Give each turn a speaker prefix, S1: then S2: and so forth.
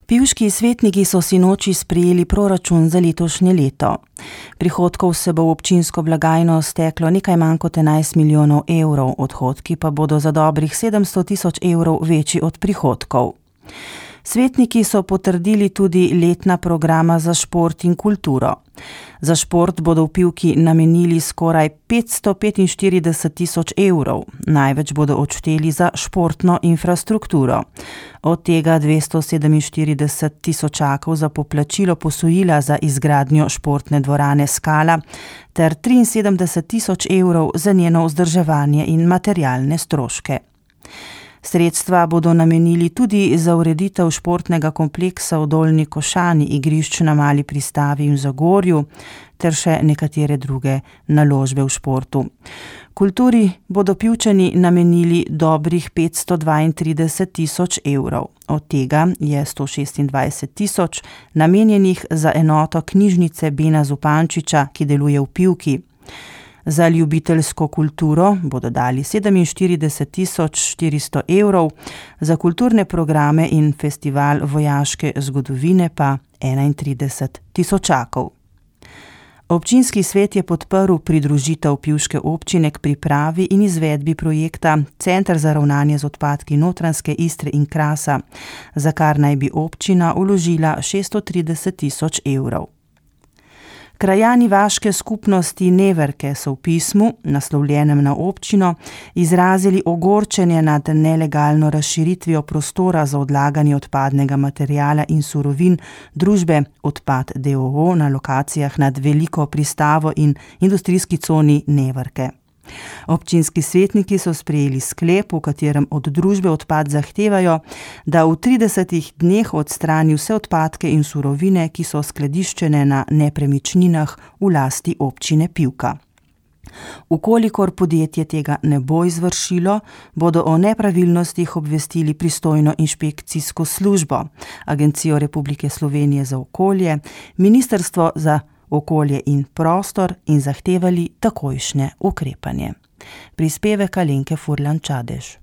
S1: Pivški svetniki so sinoči sprejeli proračun za letošnje leto. Prihodkov se bo v občinsko blagajno steklo nekaj manj kot 11 milijonov evrov, odhodki pa bodo za dobrih 700 tisoč evrov večji od prihodkov. Svetniki so potrdili tudi letna programa za šport in kulturo. Za šport bodo v Pivki namenili skoraj 545 tisoč evrov, največ bodo odšteli za športno infrastrukturo. Od tega 247 tisočakov za poplačilo posojila za izgradnjo športne dvorane Skala ter 73 tisoč evrov za njeno vzdrževanje in materialne stroške. Sredstva bodo namenili tudi za ureditev športnega kompleksa v Dolnji Košani, igrišč na Mali Pristavi in Zagorju ter še nekatere druge naložbe v športu. Kulturi bodo Pivčani namenili dobrih 532 tisoč evrov. Od tega je 126 tisoč namenjenih za enoto knjižnice Bena Zupančiča, ki deluje v Pivki. Za ljubiteljsko kulturo bodo dali 47 tisoč 400 evrov, za kulturne programe in festival vojaške zgodovine pa 31 tisočakov. Občinski svet je podprl pridružitev Pivške občine k pripravi in izvedbi projekta Center za ravnanje z odpadki Notranjske Istre in Krasa, za kar naj bi občina vložila 630 tisoč evrov. Krajani vaške skupnosti Neverke so v pismu, naslovljenem na občino, izrazili ogorčenje nad nelegalno razširitvijo prostora za odlaganje odpadnega materiala in surovin družbe Odpad d.o.o. na lokacijah nad Veliko Pristavo in industrijski coni Neverke. Občinski svetniki so sprejeli sklep, v katerem od družbe Odpad zahtevajo, da v 30 dneh odstrani vse odpadke in surovine, ki so skladiščene na nepremičninah v lasti občine Pivka. Ukolikor podjetje tega ne bo izvršilo, bodo o nepravilnostih obvestili pristojno inšpekcijsko službo, Agencijo Republike Slovenije za okolje, Ministrstvo za okolje in prostor in zahtevali takojšnje ukrepanje. Prispevek Alenke Furlan Čadež.